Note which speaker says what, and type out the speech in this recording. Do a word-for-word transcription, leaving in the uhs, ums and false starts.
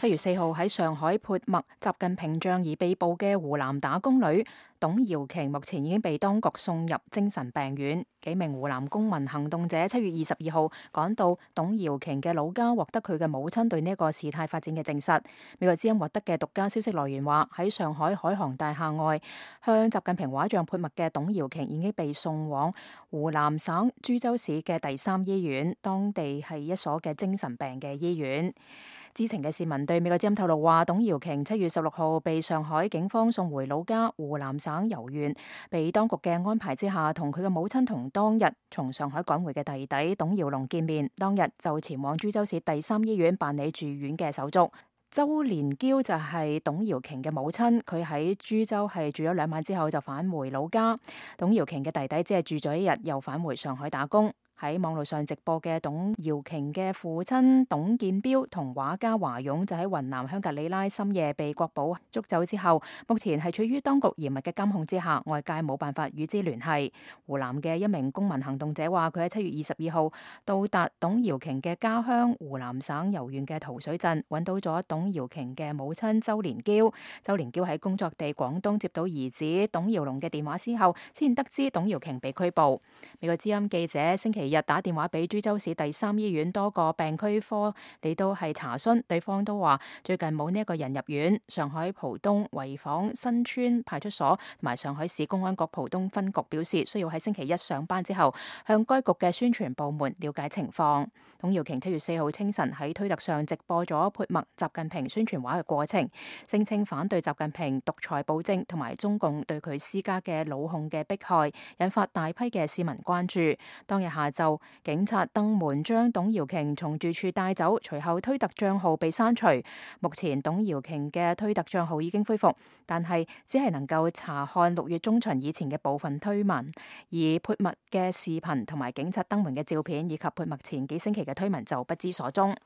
Speaker 1: 七月四號喺上海潑墨習近平仗義被捕嘅湖南打工女董瑤瓊，目前已經被當局送入精神病院。幾名湖南公民行動者七月二十二號趕到董瑤瓊嘅老家，獲得佢嘅母親對呢一個事態發展嘅證實。美國之音獲得嘅獨家消息來源話，喺上海海航大廈外向習近平畫像潑墨嘅董瑤瓊已經被送往湖南省株洲市嘅第三醫院，當地係一所嘅精神病嘅醫院。知情嘅市民對美國之音透露話，董瑤瓊七月十六號被上海警方送回老家湖南省柔縣，被當局嘅安排之下，同佢嘅母親同當日從上海趕回嘅弟弟董耀龍見面，當日就前往株洲市第三醫院辦理住院嘅手續。周連嬌就係董瑤瓊嘅母親，佢喺株洲係住咗兩晚之後就返回老家。董瑤瓊嘅弟弟只係住咗一日，又返回上海打工。喺網絡上直播嘅董瑤瓊嘅父親董建標同畫家華勇就喺雲南香格里拉深夜被國保捉走之後，目前係處於當局嚴密嘅監控之下，外界冇辦法與之聯繫。湖南嘅一名公民行動者話，佢喺七月二十二號到達董瑤瓊嘅家鄉湖南省柔縣嘅桃水鎮，揾到咗董瑤瓊嘅母親周連嬌。周連嬌喺工作地廣東接到兒子董耀龍嘅電話之後，先得知董瑤瓊被拘捕。美國之音記者星期日打電話俾株洲市第三醫院多個病區科嚟到係查詢，對方都話最近冇呢一個人入院。上海浦東濰坊新村派出所同埋上海市公安局浦東分局表示，需要喺星期一上班之後向該局嘅宣傳部門了解情況。董瑤瓊七月四號清晨喺推特上直播咗潑墨習近平宣傳畫嘅過程，聲稱反對習近平獨裁暴政同埋中共對佢施加嘅老控嘅迫害，引發大批嘅市民關注。當日下晝，警察登門將董瑤瓊從住處帶走，隨後推特賬號被刪除。目前董瑤瓊嘅推特賬號已經恢復，但係只係能夠查看六月中旬以前嘅部分推文，而潑墨嘅視頻同埋警察登門嘅照片以及潑墨前幾星期嘅推文就不知所蹤。